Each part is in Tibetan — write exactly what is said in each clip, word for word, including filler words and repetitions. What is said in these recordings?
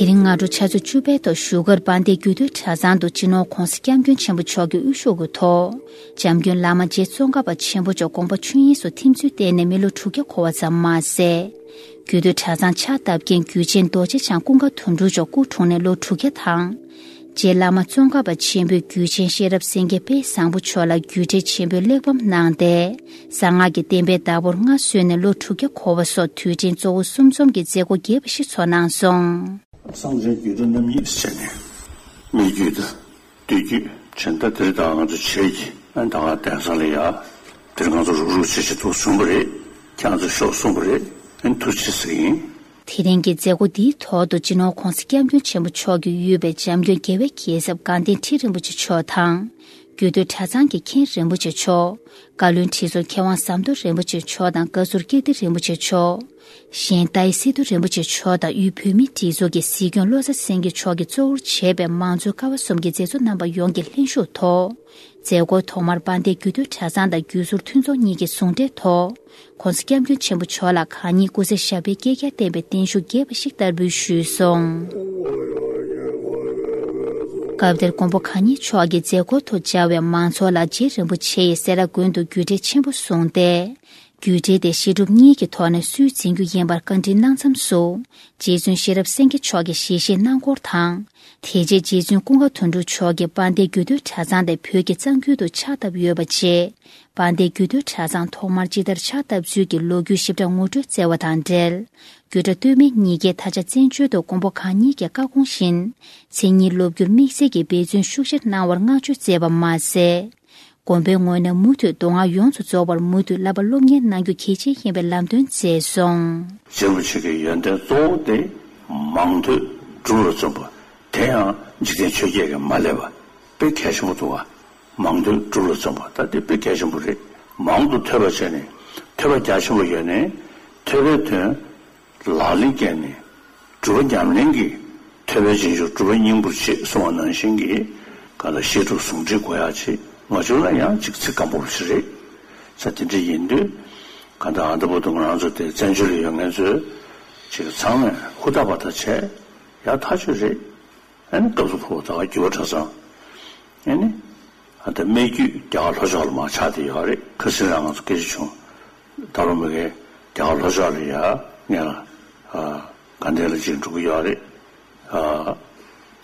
དེ་རིང་སྔ་དྲོ་ཆུ་ཚོད་བཅུ་པའི་ཐོག་བཞུགས་སྒར་དཔལ་ལྡན་རྒྱུད་སྟོད་གྲྭ་ཚང་དུ་སྤྱི་ནོར་༧གོང་ས་༧སྐྱབས་མགོན་ཆེན་པོ་མཆོག་གི་དབུ་བཞུགས་ཀྱི་ཐོག་འཇམ་མགོན་བླ་མ་རྗེ་ཙོང་ཁ་པ་ཆེན་པོ་མཆོག་དགོངས་པ་ཆོས་དབྱིངས་སུ་ཐིམ་ཚུལ་བརྟེན་ནས་མི་ལོ་དྲུག་བརྒྱ་འཁོར་བ་ཙམ་མ་ཟད། རྒྱུད་སྟོད་གྲྭ་ཚང་ཕྱག་བཏབ་མཁན་རྒྱུད་ཆེན་རྡོ་རྗེ་འཆང་ཀུན་དགའ་དོན་གྲུབ་མཆོག་སྐུ་འཁྲུངས་ནས་ལོ་དྲུག་བརྒྱ་དང་། རྗེ་བླ་མ་ཙོང་ཁ་པ་ཆེན་པོས་རྒྱུད་ཆེན་ཤེས་རབ་སེང་གེ་དཔལ་བཟང་པོ་མཆོག་ལ་རྒྱུད་འགྲེལ་ཆེན་པོའི་གླེགས་བམ་གནང་སྟེ། གསང་སྔགས་ཀྱི་བསྟན་པའི་བདག་པོར་མངའ་གསོལ་ནས་ལོ་དྲུག་བརྒྱ་འཁོར་བ་སོགས་དུས་དྲན་གཙོ་བོ་གསུམ་འཛོམས་ཀྱི་མཛད་སྒོ་རྒྱས་པ་ཞིག་ཚོགས་གནང་སོང་། གསང་ཆེན་རྒྱུད་གྲྭ་རྣམ་གཉིས་ཟེར་ནས། སྨད་རྒྱུད་དང་སྟོད་རྒྱུད་བྱས། ད་དེ་རིང་ད་ང་ཚོ་བྱེས་ཀྱི་ཨ་ད་ག་གདན་ས་ལ་ཡ། དེ་རིང་ང་ཚོ་རུག་རུག་བྱེད་བྱེད་ཐུག་བྱུང་བ་རེད། ཁྱེད་ཚོ་ཤོག་གསུངས་པ་རེད། ཨ་ཐུགས་རྗེ་ཆེ་ཟེར་གྱི་ཡིན། དེ་རིང་གི་མཛད་སྒོ་འདིའི་ཐོག་ཏུ་སྤྱི་ནོར་༧གོང་ས་༧སྐྱབས་མགོན་ཆེན་པོ་མཆོག་གིས་དབུས་པའི་འཇམ་མགོན་རྒྱལ་བའི་རྒྱལ་ཚབ་དགའ་ལྡན་ཁྲི་རིན་པོ་ཆེ་མཆོག་དང་། རྒྱུད་སྟོད་གྲྭ་ཚང་གི་མཁན་རིན་པོ་ཆེ་མཆོག་བཀའ་བློན་ཁྲི་ཟུར་མཁས་དབང་ཟམ་གདོང་རིན་པོ་ཆེ་མཆོག་དང་བཀའ་ཟུར་ཀིརྟི་རིན་པོ་ཆེ་མཆོག་གཞན་ཏཱའི་སི་ཏུ་རིན་པོ་ཆེ་མཆོག་དང་དབུས་བོད་མིའི་སྒྲིག་འཛུགས་ཀྱི་སྲིད་སྐྱོང་བློ་བཟང་སེང་གེ་མཆོག་གིས་གཙོ་བོར་བྱས་པའི་མང་གཙོའི་ཀ་བ་གསུམ་གྱི་མཛད་གཙོ་རྣམ་པ་ཡོངས་ཀྱིས་ལྷན་ཞུགས་ཐོག་མཛད་སྒོའི་ཐོག་མར་དཔལ་ལྡན་རྒྱུད་སྟོད་གྲྭ་ཚང་དང་བརྒྱུད་ཟུར་མཐུན་ཚོགས་གཉིས་ཀྱིས་ཟུང་འབྲེལ་ཐོག༧གོང་ས་༧སྐྱབས་མགོན་ཆེན་པོ་མཆོག་ལ་གང་ཉིད་སྐུ་ཚེ་ཞབས་པད་བསྐལ་བརྒྱར་བརྟན་པའི་བརྟན་བཞུགས་རྒྱས་པ་ཞིག་བསྟར་འབུལ་ཞུས་སོང་། སྐབས་དེར་མགོན་པོ་གང་ཉིད་མཆོག་གིས་མཛད་སྒོའི་ཐོག་བཅར་བའི་མང་ཚོགས་ལ་རྗེ་རིན་པོ་ཆེ་ཡིས་སེ་ར་དགོན་དུ་རྒྱུད་འགྲེལ་ཆེན་པོ་གསུངས་ཏེ། རྒྱུད་འགྲེལ་དེ་བཤད་སྒྲུབ་གཉིས་ཀྱི་ཐོག་ནས་སུས་འཛིན་རྒྱུ་ཡིན་པར་བཀའ་འདྲི་གནང་མཚམས་སུ། རྗེ་བཙུན་ཤེས་རབ་སེང་གེ་མཆོག་གིས་ཞལ་བཞེས་གནང་སྐོར་དང་། དེ་རྗེས་རྗེ་བཙུན་ཀུན་དགའ་དོན་གྲུབ་མཆོག་གིས་དཔལ་ལྡན་རྒྱུད་སྟོད་གྲྭ་ཚང་དེ་བོད་ཀྱི་གཙང་ཁུལ་དུ་ཕྱག་བཏབ་ཡོད་པ་བཅས། དཔལ་ལྡན་རྒྱུད་སྟོད་གྲྭ་ཚང་ཐོག་མར་ཅི་ལྟར་ཕྱག་བཏབ་ཚུལ་གྱི་ལོ་རྒྱུས་ཞིབ་ཕྲ་ངོ་སྤྲོད་བསྩལ་བ་དང་འབྲེལ། རྒྱུད་གྲྭ་སྟོད་སྨད་གཉིས་ཀས་ད་ཆ་བཙན་བྱོལ་དུ་མགོན་པོ་གང་ཉིད་ཀྱི་བཀའ་དགོངས་བཞིན། མཚན་ཉིད་སློབ་བསྒྱུར་དམིགས་བསལ་གྱི་འབད་བརྩོན་ཤུགས་ཆེར་གནང་བར་བསྔགས་བརྗོད་བསྩལ་བ་མ་ཟད། དགོན་པའི་ངོས་ནས་མུ་མཐུད་མདོ་སྔགས་ཡོངས་སུ་རྫོགས་པར་མུ་མཐུད་བསླབ་པ་སློབ་གཉེར་གནང་རྒྱུ་གལ་ཆེ་ཡིན་པའི་ལམ་སྟོན་མཛད་སོང་། རྗེ་རིན་པོ་ཆེ་གི་ཡོན་ཏན་གཙོ་བོ་དེ་མང་ཐོས་སྒྲུབ་ལ་བརྩོན་པ། དེ་ཡང་འཇིག་རྟེན་ཆོས་བརྒྱད་ཀྱིས་མ་བསླད་པ། དཔེ་གལ་ཆེན་པོ་འདུག་བ། མང་ཐོས་སྒྲུབ་ལ་བརྩོན་པ་ད་དེ་དཔེ་གལ་ཆེན་པོ་རེད། མང་དུ་ཐོས་པ་བྱས་ནས་ཐོས་པ་རྒྱ་ཆེན་པོ་ཡོད་ནས་ཐོས་པའི་དོན་ལག་ལེན་བཀལ་ནས་སྒྲུབ་པ་ཉམས་ལེན་གྱིས་ཐོས་པས་རྗེས་འཇུག་སྒྲུབ་པས་སྙིང་པོར་བྱེད་གསུངས་པ་ནང་བཞིན་གྱི་གང་ལྟར་བཤད་སྒྲུབ་ཟུང་འབྲེལ་དགོས་ཡ་ཆེ། ང་ཚོ་ལ་ཡང་ཅིག་ཚིག་སྐམ་པོ་ཞིག་རེད། ས་དེ་འདྲ་ཡིན་དུས་གང་ལྟར་ཨ་ད་བར་དུ་ང་རང་ཚོ་དེ་བཙན་བྱོལ་ལ་ཡོད་མཁན་ཚོས་ཅིག་ཚང་མས་ཧུར་ཐག་པ་ཐག་བྱས་ཡ་ཐག་ཆོད་རེད། ཨ་ནི་སྐབས་སུ་བབ་པ་ད་ག་རྒྱུད་པ་གྲྭ་ཚང་། ཨ་ནི་ཨ་ད་སྨད་རྒྱུད་རྒྱ་གར་ལྷོ་ཕྱོགས་ལ་མར་ཆགས་བསྡད་ཡོད་རེད། ཁ་སང་རང་ང་ཚོ་སྐད་ཆ་བྱུང་། ད་རུང་མི་གའི་རྒྱ་གར་ལྷོ་ཕྱོགས་ལ་ཡ་ངས་ལ་ཨ་དགའ་ལྡན་ལ་ཅིག་འགྲོ་གི་ཡོད་རེད། ཨ་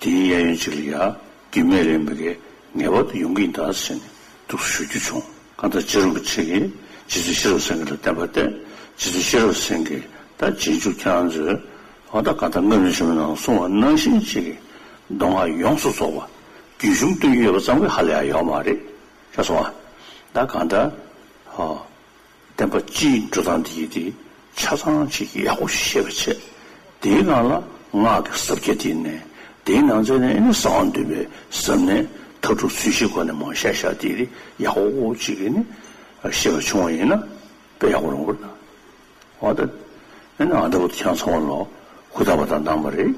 དེའི་གཡས་གཡོན་ཅིག་ལ་ཡ་རྒྱུད་སྨད་ལ་མི་གའི་ངེས་པར་དུ་ཡོང་གི་ཡིན་ད་ཟེར་ནས་འདུག་སེ་ཞུ་རྒྱུ་བྱུང་། གང་ལྟར་རྗེ་རིན་པོ་ཆེ་གིས་རྗེ་བཙུན་ཤེས་རབ་སེང་གེ་ལ་བསྟན་པ་བསྟན། རྗེ་བཙུན་ཤེས་རབ་སེང་གེས་ད་རྗེས་འཇུག་ཁྱེད་རང་ཚོས་ཨ་ད་གང་ལྟར་སྔ་རོལ་ཆེན་མོའི་ནང་གསུངས་པ་ནང་བཞིན་ཅིག་གི་མདོ་སྔགས་ཡོངས་སུ་རྫོགས་པ་རྒྱུན་གཞུང་སྟོན་གྱི་ཡོད་པ་ཙམ་གྱིས་ཧ་ལས་ཡ་ཡོད་མ་རེད། ཤེས་སོང་ཨ། ད་གང་ལྟར་ཨ་བསྟན་པ་སྤྱིའི་འགྲོ་སྟངས་འདི་ཡིན་ཏེ་ཆ་ཚང་ཅིག་ཡག་པོ་ཞིག་ཤེས་པ་བྱས། དེའི་ནང་ལ་སྔགས་ཀྱི་ཟབ་རྒྱ་དེ་ནས་དེའི་ནང་ཚན་ནས་ཨ་ནི་གསང་བ་འདུས་པའི་ཟབ་གནད་མཐའ་དྲུག་ཚུལ་བཞིའི་སྒོ་ནས་མར་བཤད་བཞག་དེ་ཡག་པོ་ཅིག་གིས་ནི་ཤེས་པ་བྱུང་བ་ཡིན་ན་དཔེ་ཡག་པོ་རུང་བ་རེད། འོ་ད། ཨ་ནི་ཨ་ད་བར་དུ་ཁྱེད་ཚང་མ་ལོ་ཧུར་ཐག་པ་དང་གནང་བ་རེད།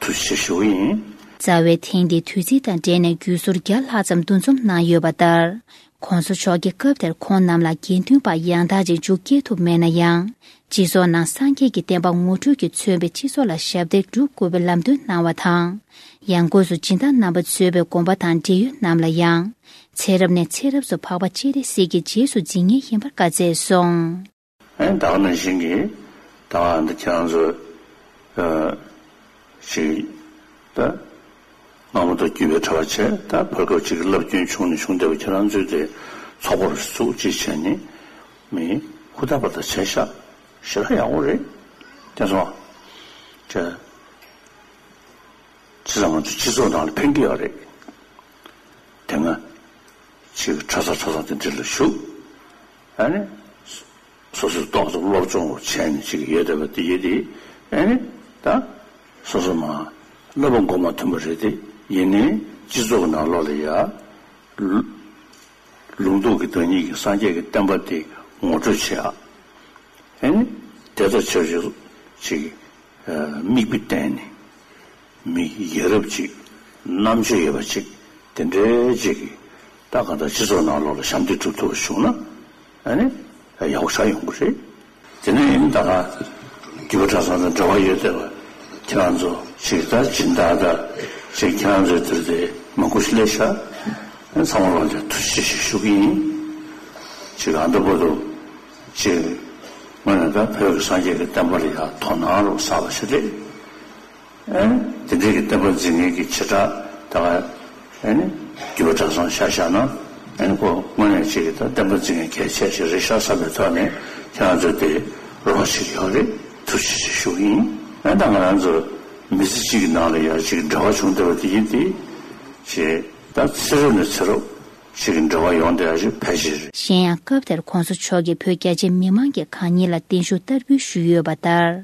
ཐུགས་རྗེ་ཆེ་ཞུ་གི་ཡིན། རྩ་བའི་ཐེངས་འདིའི་དུས་ཚིགས་དང་འབྲེལ་ནས་བརྒྱུད་ཟུར་བརྒྱ་ལྷག་ཙམ་འདུ་འཛོམས་གནང་ཡོད་པ་ལྟར། གོང་ས་མཆོག་གིས་སྐབས་དེར་ཁོང་རྣམས་ལ་དགེ་འདུན་པ་ཡང་དག་ཅིག་འཇུག་སྐྱེལ་ཐུབ་མེད་ན་ཡང་། སྤྱི་ཚོགས་ནང་སངས་རྒྱས་ཀྱི་བསྟན་པ་ངོ་སྤྲོད་ཀྱིས་མཚོན་པའི་སྤྱི་ཚོགས་ལ་ཞབས་འདེགས་སྒྲུབ་དགོས་པའི་ལམ་སྟོན་གནང་བ་དང་། ཡང་སྒོས་སུ་སྦྱིན་བདག་རྣམ་པ་གཙོས་པའི་དགོན་པ་དང་འབྲེལ་ཡོད་རྣམས་ལ་ཡང་། ཚེ་རབས་ནས་ཚེ་རབས་སུ་འཕགས་པ་སྤྱན་རས་གཟིགས་ཀྱི་རྗེས་སུ་འཛིན་མཁན་ཡིན་པར་བཀའ་སྩལ་སོང་། ཨེ་ད་ག་ནང་བཞིན་གྱི་ད་ག་འདི་ཁྱེད་རང་ཚོ་ཨ་ཅིག་ད་སྔ་མོ་དང་བརྒྱུད་པའི་གྲྭ་པ་བྱས། ད་བར་སྐབས་ཅིག་བསླབ་སྐྱོན་བྱུང་ནས་བྱུང་བསྡད་པ་ཁྱེད་རང་ཚོས་དེ་ཚོགས་པ་རུ་བཙུགས་ཅིག་བྱས་ནས་མི་ཧུར་ཐག་པ་དང་བྱས་ཤག་ཞེ་དྲག་ཡག་པོ་རེད། དེ་སོང་ཅེ། བྱས་ཙང་ང་ཚོ་སྤྱི་ཚོགས་ནང་ལ་ཕན་གྱི་ཡོད་རེད། དེ་སྔ་ཅིག་གྲྭ་ས་གྲྭ་ས་དེ་འདྲ་ལ་ཞུགས། ཨ་ནི་སོ་སོས་ཏོག་ཙམ་སློབ་སྦྱོང་བྱས་ནས་ཅིག་ཡོད་བསྡད་པ་དེ་ཡོད་དེ། ཨ་ནི་ད་སོ་སོ་མ་བསླབ་པ་མགོ་མ་ཐོན་པ་རེད་དེ། ཡིན་ནའི་སྤྱི་ཚོགས་ནང་ལོགས་ལ་ཡ་ལུ་ལུང་རྟོགས་ཀྱི་བདག་ཉིད་ཀྱི་སངས་རྒྱས་ཀྱི་བསྟན་པ་དེ་ངོ་སྤྲོད་བྱེད་ཨ། ཨ་ནི་དེ་ལྟར་བྱས་བྱས་ཅིག་མིག་དཔེ་བསྟན་ནས་མི་ཡ་རབས་ཅིག་རྣམ་དཔྱོད་ཡོད་པ་ཅིག་དེ་འདྲའི་ཅིག་གིས་ད་གང་ལྟར་སྤྱི་ཚོགས་ནང་ལོགས་ལ་ཞབས་འདེགས་སྒྲུབ་ཐུབ་པ་བྱུང་ན་ཨ་ནི་ཡག་པོ་ཞེ་དྲག་ཡོང་གི་རེད། དེ་ནས་ཨ་ནི་ད་ག་རྒྱུད་པ་གྲྭ་ཚང་དང་འབྲེལ་བ་ཡོད་བསྡད་པ་ ཁྱེད་རང་ཚོ་ཅིག་ད་སྦྱིན་བདག་ད་ཅིག་ཁྱེད་རང་ཚོའི་དུར་དེ་མང་པོ་ཞིག་སླེབས་ཤག་ཚང་མ་ལ་ཐུགས་རྗེ་ཆེ་ཞུ་གི་ཡིན། ཅིག་ཨ་འདི་བར་དུ་ཅིག་དངོས་ནས་ད་བོད་ཀྱི་སངས་རྒྱས་ཀྱི་བསྟན་པ་ལ་ཡང་དོ་སྣང་རུ་བསགས་པ་ཞིག་རེད། ཨེ་དེ་འདྲའི་གི་བསྟན་པ་འཛིན་མཁན་གྱི་བྱེ་བྲག་ད་ག་ཨེ་ནི་རྒྱུད་པ་གྲྭ་ཚང་ཆ་བཞག་ན་ཨེ་ནི་ཁོ་དངོས་གནས་ཅིག་གི་ད་བསྟན་པ་འཛིན་མཁན་གལ་ཆེ་ཞིག་རེད་ཤག་བསམ་པའི་ཐོག་ནས་ཁྱེད་རང་ཚོ་དེ་རོགས་བྱེད་ཀྱི་ཡོད་རེད། ཐུགས་རྗེ་ཆེ་ཞུ་གི་ཡིན། ཨེ་ད་ང་རང་ཚོ་མི་ཚེ་གཅིག་གི་ནང་ལ་ཡར་ཅིག་འབྲེལ་བ་བྱུང་བསྡད་པ་དེ་ཡིན་ཏེ་ཅེས་ད་ཚེ་རབས་ནས་ཚེ་རབས་ཅིག་གི་འབྲེལ་བ་ཡོང་བསྡད་ཡ་ཞིག་ཕལ་ཆེར་རེད། གཞན་ཡང་སྐབས་དེར་གོང་ས་མཆོག་གིས་བོད་རྒྱ་ཆེ་མི་མང་གི་གང་ཉིད་ལ་བརྟན་བཞུགས་བསྟར་འབུལ་ཞུས་ཡོད་པ་ལྟར།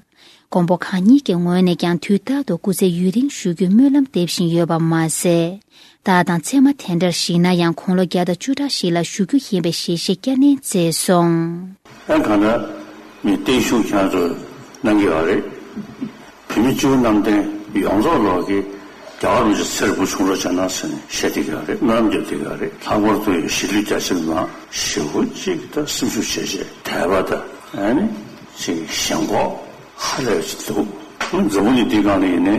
མགོན་པོ་གང་ཉིད་ཀྱི་ངོས་ནས་ཀྱང་དུས་རྟག་ཏུ་སྐུ་ཚེ་ཡུན་རིང་བཞུགས་རྒྱུའི་སྨོན་ལམ་འདེབས་བཞིན་ཡོད་པ་མ་ཟད། རྟག་དང་མཚན་མ་དེ་འདྲར་གཞིགས་ན་ཡང་དགུང་ལོ་བརྒྱ་དང་བཅུ་ཕྲག་ཞིག་ལ་བཞུགས་རྒྱུ་ཡིན་པའི་ཞལ་བཞེས་བསྐྱར་ནན་མཛད་སོང་། ཨ་གང་ལྟར་ངས་བརྟན་བཞུགས་ཁྱེད་ཚོར་གནང་གི་ཡོད་རེད། བོད་མི་སྤྱི་བོ་གནམ་བསྟན་ཡོངས་རྫོགས་ལོག་གི་རྒྱལ་བ་རིན་པོ་ཆེ་ཚེ་རིང་པོ་བྱུང་རོགས་བྱས་གནང་ཟེར་ནས་བཤད་བསྡད་ཀྱི་ཡོད་རེད། སྨོན་ལམ་རྒྱབ་བསྡད་ཀྱི་ཡོད་རེད། ལྷག་པར་དུ་ཡང་གཞིས་ལུས་རྒྱ་ཆེ་མི་མང་ཞེ་པོ་ཅིག་ད་སེམས་ཤུགས་ཆེ་ཆེ་དད་པ་དང་ཨ་ནི་ཅིག་ཞེན་ཁོག་ཧ་ལས་པ་ཅིག་འདུག་འཛམ་བུ་གླིང་འདིའི་སྒང་ལ་ཡིན་ནའི་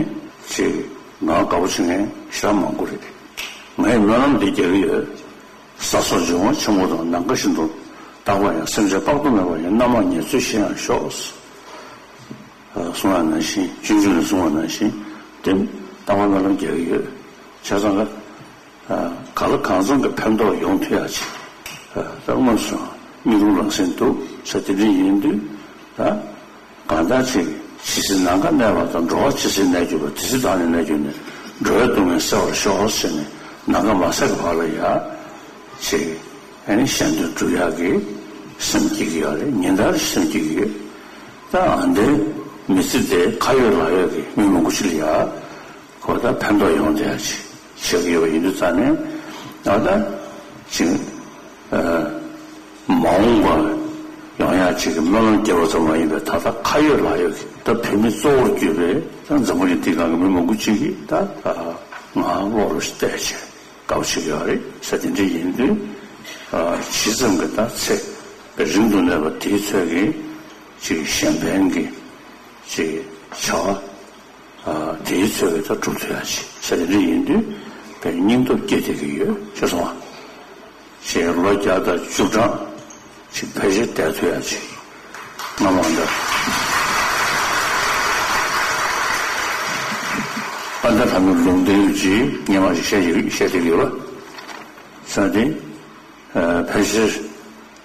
ཅིག་ང་དགའ་པོ་བྱེད་མཁན་ཞེ་དྲག་མང་པོ་རེད། ངས་སྨོན་ལམ་འདི་རྒྱག་གི་ཡོད། ས་སོགས་འབྱུང་བ་ཆེན་པོ་དང་ནམ་མཁའ་བཞིན་དུ་རྟག་པར་ཡང་སེམས་ཅན་དཔག་ཏུ་མེད་པ་ཡི་རྣམ་མང་ཉེར་འཚོའི་གཞི་ཡང་ཤོག་གསུངས་པ་ནང་བཞིན། སྤྱོད་འཇུག་ནས་གསུངས་པ་ནང་བཞིན་དེ་རྟག་པར་སྨོན་ལམ་རྒྱག་གི་ཡོད། བྱས་ཙང་ག་ག་ལ་གང་འཚམ་གྱི་ཕན་ཐོགས་ཡོང་ཐུབ་ཡག་ཅིག་ད་དངོས་སུ་མིག་ལོང་རང་སེམས་འདུག་ས་དེ་འདྲ་ཡིན་དུས་ད། གང་ལྟར་ཅིག་ཇི་སྲིད་ནམ་མཁའ་གནས་པ་དང་། འགྲོ་བ་ཇི་སྲིད་གནས་གྱུར་པ། དེ་སྲིད་བདག་ནི་གནས་གྱུར་ནས། འགྲོ་བའི་སྡུག་བསྔལ་སེལ་བར་ཤོག་ཟེར་ནས་ནམ་མཁའ་མ་ཟད་ཀྱི་བར་ལ་ཡ་ཅིག་ཨ་ནི་གཞན་དོན་སྒྲུབ་ཡག་གི་སེམས་སྐྱེ་གི་ཡོད་རེད། ཉིན་ལྟར་སེམས་སྐྱེ་གི་ཡོད། ད་ཨ་འདིར་མི་ཚེ་དེ་ཁ་ཡོད་ལག་ཡོད་ཀྱི་མི་མང་པོ་ཞིག་ལ་ཡ། ཁོ་ད་ཕན་ཐོགས་ཡོང་བསྡད་ཡ་ཅིག་བྱེད་ཀྱི་ཡོད་པ་ཡིན་དུས་ཙང་ནས་ད་ལྟ་ཅིག་ཨ་མ་འོངས་པ་ཡོང་ཡ་ཅིག་གི་སྨོན་ལམ་རྒྱབ་པ་ཙམ་མ་ཡིན་པའི་ད་ལྟ་ཁ་ཡོད་ལག་ཡོད་ཀྱི་ད་བོད་མི་གཙོ་བོར་གྱུར་པའི་ད་འཛམ་བུ་གླིང་འདིའི་སྒང་གི་མི་མང་པོ་ཅིག་གིས་ད་ང་བློ་རུ་གཏད་བྱས་དགའ་པོ་བྱེད་ཀྱི་ཡོད་རེད་ཟེར། དེ་འདྲ་ཡིན་དུས་ཇི་ཙམ་གྱི་ད་ཚེ་རིང་དུ་གནས་པ་དེའི་ཚོད་ཀྱི་ཅིག་གཞན་ཕན་གྱི་ཅིག་བྱ་བ། དེའི་ཚོད་ཀྱི་ད་གྲུབ་ཐུབ་ཡ་ཅིག་ཟེར་དེ་འདྲ་ཡིན་དུས་དཔེ་སྙིང་སྟོབས་སྐྱེ་བསྡད་ཀྱི་ཡོད་ཤེས་སོང་བ། ཞེས་ལོ་བརྒྱ་དང་བཅུ་གྲངས་ཅིག་ཕལ་ཆེར་བསྡད་ཐུབ་ཡ་ཅིག་སྔ་མ་འདྲ། ཨ་འདྲ་ད་ནི་ལུང་བསྟན་ཡོད་ཅིག་སྔ་མ་ཞིག་བཤད་ཀྱི་བཤད་བསྡད་ཀྱི་ཡོད་པ་ཟེར་ཏེ། ཕལ་ཆེར་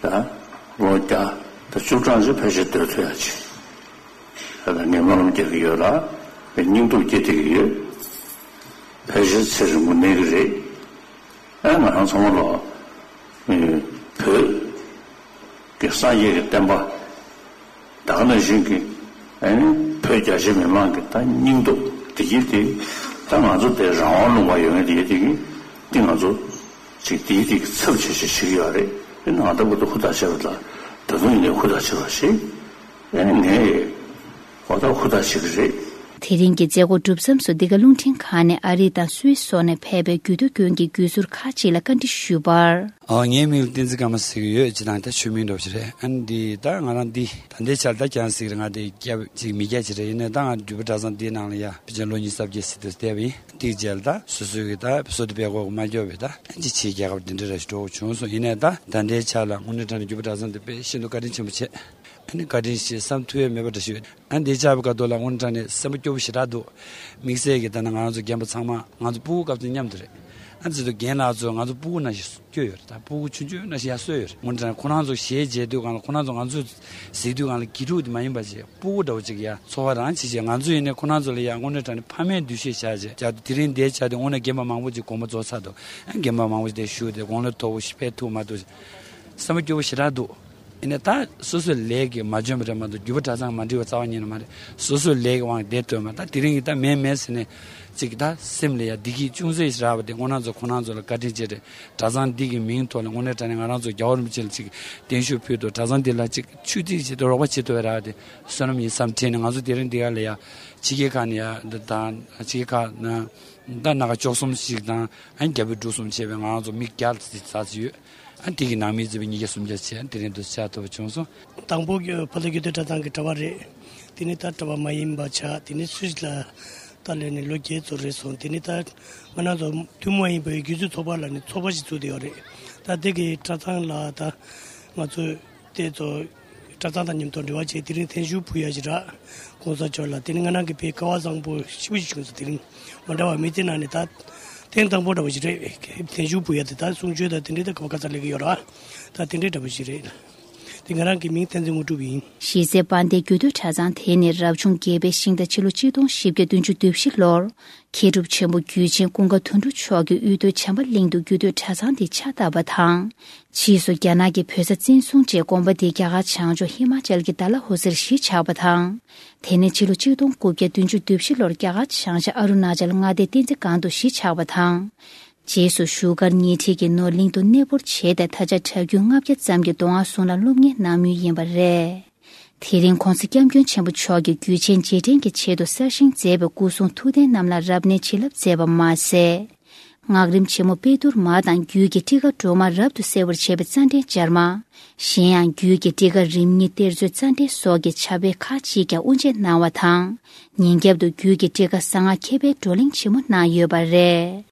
ད་ལོ་བརྒྱ་དང་བཅུ་གྲངས་ཅིག་ཕལ་ཆེར་སྡོད་ཐུབ་ཡ་ཅིག་ད་ལྟ་ངས་སྨོན་ལམ་རྒྱག་གི་ཡོད་ལ། དཔེ་སྙིང་སྟོབས་སྐྱེ་བསྡད་ཀྱི་ཡོད། ཕལ་ཆེར་ཚེ་རིང་པོ་གནས་ཀྱི་རེད། ཨ་ང་རང་ཚང་མ་ལ་ཨེ་བོད་ཀྱི་སངས་རྒྱས་ཀྱི་བསྟན་པ་ད་ག་ནང་བཞིན་གྱི་ཨ་ནི་བོད་རྒྱ་ཆེ་མི་མང་གི་ད་སྙིང་སྟོབས་བདེ་སྐྱིད་དེ་ད་ང་ཚོ་དེ་རང་དབང་ལུང་པ་ཡོད་མཁན་དེ་ཡོད་དེ་གི་དེ་ང་ཚོ་ཅིག་དེའི་དེ་གི་ཚབ་བྱེད་བྱེད་བྱེད་ཀྱི་ཡོད་རེད། དེ་ནང་ལྟ་བུ་དུ་ཧུར་ཐག་བྱེད་པ་དང་ད་དུང་ཡིན་ནའི་ཧུར་ཐག་བྱེད་པ་ཞིག་ཨ་ནི་ངས་ཧོ་ད་ཧུར་ཐག་བྱེད་ཀྱི་རེད། དེ་རིང་གི་མཛད་སྒོ་གྲུབ་མཚམས་སུ་འདི་ག་རླུང་འཕྲིན་ཁང་ནས་ཨ་རི་དང་སུད་སི་སོགས་ནས་ཕེབས་པའི་རྒྱུད་སྟོད་དགོན་གྱི་རྒྱུད་ཟུར་ཁག་ཅིག་ལ་བཀའ་འདྲི་ཞུས་པར། ཨ་ངའི་མིང་ལ་བསྟན་འཛིན་ཀརྨ་ཟེར་གྱི་ཡོད། སྤྱིར་བཏང་ད་ཆོས་མིང་འདྲ་བོ་ཞིག་རེད། ཨ་ནི་འདི་ད་ང་རང་འདི་ད་ལྟའི་ཆར་ད་ཀྱང་ཟེར་གྱི་རེད། ང་དེ་སྐྱབས་ཅིག་མི་སྐྱ་ཅིག་རེད། ཡིན་ནའི་ད་ང་རྒྱུད་པ་གྲྭ་ཚང་འདིའི་ནང་ལ་ཡ་ཕལ་ཆེར་ལོ་ཉི་ཤུ་རྩ་བརྒྱད་ཟིན་དུ་བསྡད་པ་ཡིན། དེའི་རྗེས་ལ་ད་སོ་སོའི་གི་ད་སོ་ད་པའི་གོ་མ་སྐྱོར་བའི་ད་ཅི་ཆེའི་རྒྱལ་ཁབ་འདི་འདྲ་ར་ཞིག་འགྲོ་དགོས་བྱུང་སོང་། ཡིན་ནའི་ད་ད་ལྟའི་ཆར་ལ་དངོས་གནས་དྲང་གནས་རྒྱུད་པ་གྲྭ་ཚང་འདི་དཔེ་ཤིན་ཏུ་བཀའ་དྲིན་ཆེན་པོ་བྱས། ཨ་ནི་བཀའ་དྲིན་ཆེ་བསམ་ཐུབ་ཡས་མེད་པ་འདྲ་ཞིག་ཡོད། ཨ་ནི་འདི་བཅར་བའི་སྐབས་ཐོག་ལ་དངོས་གནས་དྲང་གནས་སེམས་པ་སྐྱོ་པོ་ཞེ་དྲག་འདུག་དམིགས་བསལ་གྱི་ད་ནི་ང་རང་ཚོ་རྒན་པ་ཚང་མ་ང་ཚོ་སྤུ་གུ་སྐབས་དེ་མཉམ་དུ་རེད། ཨ་ནི་ཚེ་ཐུབ་རྒན་ལགས་ཚོ་ང་ཚོ་སྤུ་གུ་ནང་བཞིན་སྐྱོ་ཡོད་རེད། ད་སྤུ་གུ་ཆུང་ཆུང་ནང་བཞིན་ཡར་གསོས་ཡོད་རེད། དངོས་གནས་དྲང་གནས་ཁོ་རང་ཚོ་གཞས་མཇལ་དུས་སྒང་ལ་ཁོ་རང་ཚོ་ང་ཚོ་གཟིགས་དུས་སྒང་ལ་དགེ་ཕྲུག་དེ་མ་ཡིན་པ་ཅིག་སྤུ་གུ་འདྲ་བོ་ཅིག་ཡ་ཚོར་བ་རང་བྱེད་ཅིག་ང་ཚོ་ཡིན་ནའི་ཁོ་རང་ཚོ་ལ་ཡ་དངོས་གནས་དྲང་གནས་ཕ་མའི་འདུ་ཤེས་བཞག་བྱས་བྱས་དེ་རིང་འདིར་བཅར་ཏེ་དངོས་གནས་རྒན་པ་མང་པོ་ཅིག་དགོངས་པ་རྫོགས་ཚར་འདུག་ཨ་རྒན་པ་མང་པོ་ཅིག་དེ་བཞུགས་ཏེ་དགུང་ལོ་མཐོ་པོ་ཞིག་ཕེབས་ཐུབ་མ་ཐུབ་སེམས་པ་སྐྱོ་པོ་ཞེ་དྲག་འདུག་ཡིན་ནའི་ད་སོ་སོའི་ལས་ཀྱིས་མ་འཇོན་པ་རེད་མ་གཏོགས་རྒྱུད་པ་གྲྭ་ཚང་མ་འགྲིག་པ་རྩ་བ་ཉིད་ནས་མ་རེད། སོ་སོའི་ལས་ཀྱི་དབང་གིས་བསྡད་ཐུབ་མ་ད་དེ་རིང་གི་ད་མེད་མེད་ཟེར་ནས་ཅིག་ད་སེམས་ལ་ཡ་བདེ་སྐྱིད་ཅུང་ཟད་ཞིག་རག་པ་དེ་དངོས་གནས་ཚོ་ཁོ་རང་ཚོ་ལ་བཀའ་དྲིན་ཆེ་རེད། གྲྭ་ཚང་འདི་གི་མིང་ཐོག་ལ་དངོས་གནས་དྲང་གནས་ང་རང་ཚོ་རྒྱལ་བ་རིན་པོ་ཆེ་ལ་ཅིག་བརྟན་བཞུགས་ཕུལ་དུ་གྲྭ་ཚང་འདི་ལ་ཅིག་ཆུ་ཐིགས་ཅིག་ཏུ་རོགས་པ་བྱེད་ཐུབ་པའི་རག་དེ་བསོད་ནམས་ཡིན་བསམ་དྲན་ནས་ང་ཚོ་དེ་རིང་འདི་ག་ལ་ཡ་ཕྱི་རྒྱལ་ཁག་ནས་ཡ་འདི་དང་ཕྱི་རྒྱལ་ཁག་ན་ད་སྣ་ཁ་བཅུ་གསུམ་ཞིག་དང་ཨ་ནི་རྒྱ་བོད་འབྲུག་གསུམ་བྱས་པའི་ང་རང་ཚོ་མི་བརྒྱ་ཙམ་ཙམ་ཡོད། ཨ་དེ་གི་ནང་མི་བརྩིས་པའི་ཉིས་བརྒྱ་སུམ་བརྒྱ་བྱས། དེ་རིང་དུ་བཅར་ཐུབ་པ་བྱུང་སོང་། དང་པོ་ཕོ་ལྷ་རྒྱུད་སྟོད་གྲྭ་ཚང་གི་གྲྭ་པ་རེད། དེ་ནས་ད་གྲྭ་པ་མ་ཡིན་པ་ཆགས། དེ་ནས་སུད་སི་ལ་ད་སླེབས་ནས་ལོ་བརྒྱད་ཙམ་རེད་སོང་། དེ་ནས་ད་ང་རང་ཚོ་ཐུན་མོང་མ་ཡིན་པའི་སྒྱུ་རྩལ་ཚོགས་པ་ལ་ནི་ཚོགས་པ་ཞིག་བཙུགས་བསྡད་ཡོད་རེད། ད་དེ་གི་གྲྭ་ཚང་ལ་ད་ང་ཚོས་དེ་ཚོ་གྲྭ་ཚང་དང་མཉམ་དུ་འབྲེལ་བ་བྱས། དེ་རིང་ཐེངས་ཞུ་ཕུལ་ཡ་ཞིག་རག་གོང་ས་མཆོག་ལ། དེ་ནི་ང་རང་གི་དཔེ་སྐལ་བ་བཟང་པོ་ཞེ་པོ་ཞིག་བྱུང་སོང་། དེ་རིང་མ་འདྲ་བ་མི་ཚེ་ནང་ནས་ད་ཐེངས་དང་པོ་འདྲ་བོ་ཞིག་རེད། ཐེངས་ཞུ་ཕུལ་ཡ་དེ་ད་གསུང་ཆོས་དང་དེ་འདྲའི་ད་ག་བ་ག་ས་སླེབས་ཀྱི་ཡོད་ར། ད་དེ་འདྲའི་འདྲ་བོ་ཞིག་རེད། དེ་ང་རང་གི་མིང་བསྟན་འཛིན་དངོས་གྲུབ་ཡིན། གཞིས་རྩེ་དཔལ་ལྡན་རྒྱུད་སྟོད་གྲྭ་ཚང་དེ་ནི་རབ་བྱུང་བརྒྱད་པའི་ཤིང་རྟ་ཕྱི་ལོ་གཅིག་སྟོང་བཞི་བརྒྱ་བདུན་ཅུ་དོན་བཞི་ལོར་མཁས་གྲུབ་ཆེན་པོ་རྒྱུད་ཆེན་ཀུན་དགའ་དོན་གྲུབ་མཆོག་གིས་དབུས་སྟོད་བྱམས་པ་གླིང་དུ་རྒྱུད་སྟོད་གྲྭ་ཚང་དེ་ཕྱག་བཏབ་པ་དང་། ཕྱིས་སུ་རྒྱ་ནག་གི་བོད་ས་བཙན་བཟུང་རྗེས་དགོན་པ་འདི་རྒྱ་གར་བྱང་ཕྱོགས་ཧི་མ་ཅལ་གྱི་ད་ལ་ཧོ་སིར་གཞིས་ཆགས་པ་དང་། དེ་ནས་ཕྱི་ལོ་གཅིག་སྟོང་དགུ་བརྒྱ་བདུན་ཅུ་དོན་བཞི་ལོར་རྒྱ་གར་བྱང་ཤར་ཨ་རུ་ན་ཅལ་མངའ་སྡེ་བསྟན་འཛིན་སྒང་དུ་གཞིས་ཆགས་པ་དང་། རྗེས་སུ་བཞུགས་སྒར་ཉེ་འཁྲིས་ཀྱི་ནོར་གླིང་དུ་གནས་སྤོར་བྱས་ཏེ། ད་ཆ་གྲྭ་རྒྱུན་ལྔ་བརྒྱ་ཙམ་གྱིས་མདོ་སྔགས་ཟུང་ལ་སློབ་གཉེར་གནང་མུས་ཡིན་པ་རེད། དེ་རིང་༸གོང་ས་༸སྐྱབས་མགོན་ཆེན་པོ་མཆོག་གིས་རྒྱུད་ཆེན་རྗེས་དྲན་གྱི་ཆེད་དུ་གསར་བཞེངས་མཛད་པའི་སྐུ་གསུང་ཐུགས་རྟེན་རྣམས་ལ་རབ་གནས་བྱིན་རླབས་མཛད་པ་མ་ཟད། སྔགས་རིམ་ཆེན་མོ་དཔལ་དུར་མ་དང་རྒྱུད་ཀྱི་ཊཱི་ཀ་སྒྲོལ་མ་རབ་ཏུ་གསལ་བར་བྱེད་པའི་རྩ་འགྲེལ་སྦྱར་མ། གཞན་ཡང་རྒྱུད་ཀྱི་ཊཱི་ཀ་རིམ་གཉིས་གཏེར་མཛོད་རྩ་འགྲེལ་སོགས་ཀྱི་ཕྱག་དཔེ་ཁག་ཅིག་ཀྱང་དབུ་འབྱེད་གནང་བ་དང་། ཉིན་རྒྱབ་ཏུ་རྒྱུད་ཀྱི་ཊཱི་ཀ་གསང་སྔགས་མཁས་པའི་བགྲོ་གླེང་ཆེན་མོ་གནང་ཡོད་པ་རེད།